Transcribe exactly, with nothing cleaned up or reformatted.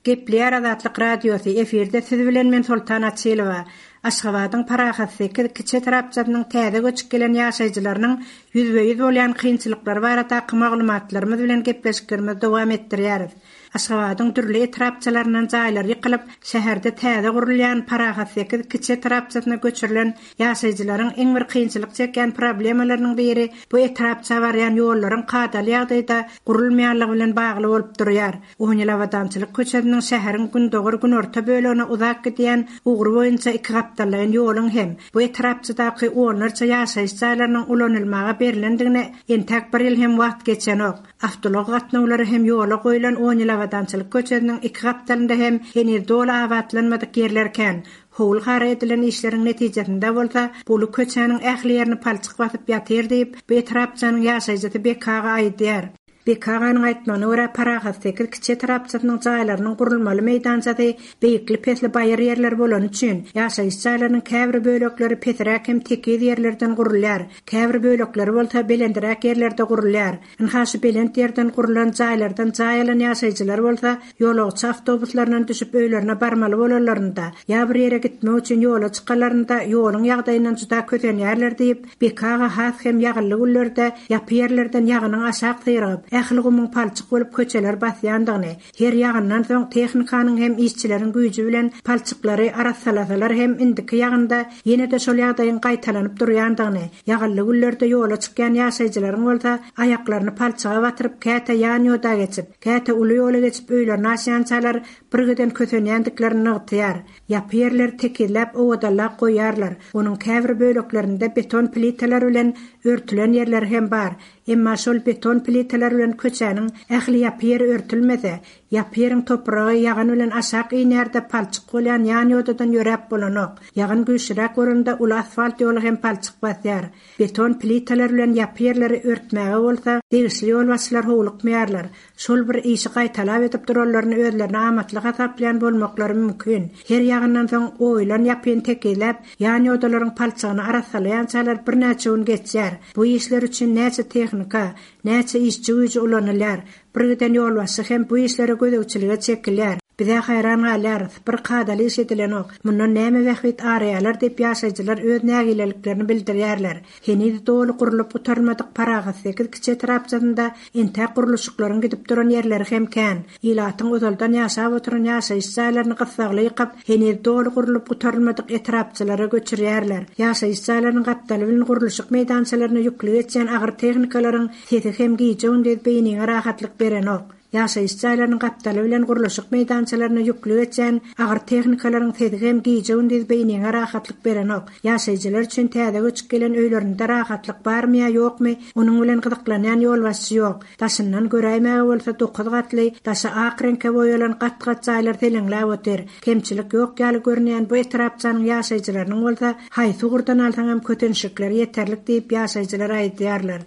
Gepleýär Azatlyk Radiosy, efirde siz bilen men Soltan Açylowa. Aşgabadyň Parahat sekiz kiçi etrapçasynyň täze göçüp gelen ýaşaýjylarynyň ýüzbe-ýüz bolýan kynçylyklary baradaky maglumatlarymyz bilen gepleşiklerimizi dowam etdirýäris. Aşgabadyň dürli etrapçalaryndan jaýlary ýykylyp, şäherde täze gurulýan Parahat sekiz kiçi etrapçasyna göçürilen ýaşaýjylaryň iň bir kynçylyk çekýän problemalarynyň biri bu etrapça barýan ýollaryň kadaly ýagdaýda gurulmaýanlygy bilen bagly bolup durýar. On ýyl Abadançylyk köçesiniň şäheriň gündogar-günorta bölegine uzak gidýän ugry boýunça iki gapdallaýyn ýoluň hem bu etrapçadaky onlarça ýaşaýyş jaýlarynyň ulanylmaga berlendigine entäk bir ýyl hem wagt geçenok. Awtoulag gatnawlary hem ýola goýlan on ýyl Abadançylyk köçesiniň iki gapdalynda hem heniz doly abatlanmadyk ýerler kän. Howul-hara edilen işleriň netijesinde bolsa bu uly köçäniň ähli ýerini palçyk basyp ýatyr diýip, bu etrapçanyň ýaşaýjysy Bek aga aýdýar. Bek aganyň aýtmagyna görä, Parahat sekiz kiçi etrapçasynyň jaýlarynyň gurulmaly meýdançasy beýikli-pesli baýyr ýerler bolany üçin, ýaşaýyş jaýlarynyň käbir bölekleri pesräk hem tekiz ýerlerden gurulýar, käbir bölekleri bolsa belendiräk ýerlerde gurulýar. Ynha şu belent ýerden gurlan jaýlardan jaý alan ýaşaýjylar bolsa ýolagçy awtobuslaryndan düşüp öýlerine barmaly bolanlarynda, ýa bir ýere gitmek üçin ýola çykanlarynda ýoluň ýagdaýyndan juda kösenýärler diýip, Beki aga has hem ýagynly günlerde ýapy ýerlerden ýagynyň aşak syrygyp, ähli gumuň palçyk bolup köçeleri basýandygyny, her ýagyndan soň tehnikanyň hem işçileriň güýji bilen palçyklary arassalasalar hem indiki ýagynda ýene-de şol ýagdaýyň gaýtalanyp durýandygyny, ýagynly günlerde ýola çykýan ýaşaýjylaryň bolsa aýaklaryny palçyga batyryp käte ýan ýoda geçip, käte uly ýola geçip öýlerine aşýançalar birgiden kösenýändiklerini nygtaýar. Ýapy ýerleri tekizläp owadanlap goýýarlar. Onuň käbir böleklerinde beton plitalar bilen örtülen ýerleri hem bar. Emma şol beton plitalar bilen köçäniň ähli ýapy ýeri örtülmese, ýapy ýeriň topragy ýagyn bilen aşak inýär-de palçyk bolýan ýan ýodadan ýöräp bolanok. Ýagyn güýçliräk bolanda uly asfalt ýoly hem palçyk basýar. Beton plitalar bilen ýapy ýerleri örtmäge bolsa degişli ýolbaşçylar howlukmaýarlar. Şol bir işi gaýtalap edip duranlaryny özlerine amatly hasaplaýan bolmaklary mümkin. Her ýagyndan soň oýulan ýapyny tekizläp, ýan ýodalaryň palçygyny arassalaýançalar birnäçe gün geçýär. Bu işler üçin näçe tehnika, näçe işçi güýji ulanylýar. Bir giden ýolbaşçy hem bu işlere gözegçilige çekilýär. Bize haýran galýarys, bir kadaly iş edilenok. Mundan näme bähbit araýarlar diýip ýaşaýjylar öz nägileliklerini bildirýärler. Heniz doly gurlup gutarylmadyk Parahat sekiz kiçi etrapçasynda entäk gurluşyklaryň gidip duran ýerleri hem kän. Ilatyň ozaldan ýaşap oturan ýaşaýyş jaýlaryny gyssagly ýykyp, heniz doly gurlup gutarylmadyk etrapçalara göçürýärler. Ýaşaýyş jaýlarynyň gapdaly bilen gurluşyk meýdançalaryna ýükli geçýän agyr tehnikalaryň sesi hem gije-gündiz beýniňe rahatlyk berenok. Ýaşaýyş jaýlarynyň gapdaly bilen gurluşyk meýdançalaryna ýükli geçýän agyr tehnikalaryň sesi hem gije-gündiz beýniňe rahatlyk berenok. Ýaşaýjylar üçin täze göçüp gelen öýlerinde rahatlyk barmy ýa ýokmy, onuň bilen gyzyklanýan ýolbaşçy ýok. Daşyndan göräýmäge bolsa dokuz gatly, daşy ak reňke boýalan gat-gat jaýlar seleňläp otyr. Kemçilik ýok ýaly görünýän bu etrapçanyň ýaşaýjylarynyň bolsa haýsy ugurdan alsaňam kötenişlikleri ýeterlik diýip ýaşaýjylar aýdýarlar.